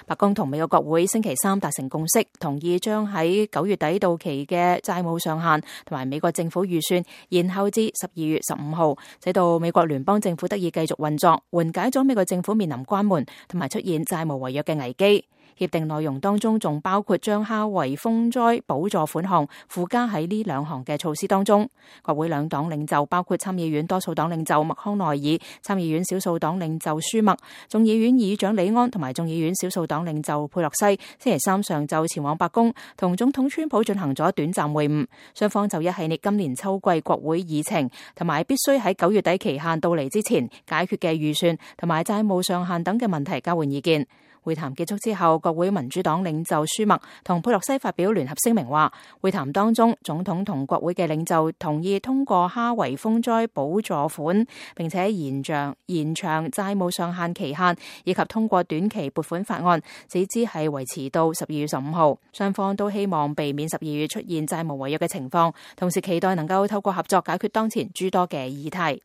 白宮同美國國會星期三達成共識，同意將喺9月底到期嘅債務上限同埋美國政府預算延後至12月15號，使到美國聯邦政府得以繼續運作，緩解咗美國政府面臨關門同埋出現債務違約嘅危機。協定內容當中仲包括將哈維風災補助款項附加喺呢兩項嘅措施當中。國會兩黨領袖包括參議院多數黨領袖麥康奈爾、參議院少數黨領袖舒默、眾議院議長李安同埋眾議院少數黨領袖佩洛西，星期三上晝前往白宮同總統川普進行咗短暫會晤，雙方就一系列今年秋季國會議程同埋必須喺9月底期限到嚟之前解決嘅預算同埋債務上限等嘅問題交換意見。會談結束之後，國會民主黨領袖舒默同佩洛西發表聯合聲明話，會談當中總統同國會嘅領袖同意通過哈維風災補助款，並且延長債務上限期限，以及通過短期撥款法案，使之係維持到12月15號。雙方都希望避免12月出現債務違約嘅情況，同時期待能夠透過合作解決當前諸多嘅議題。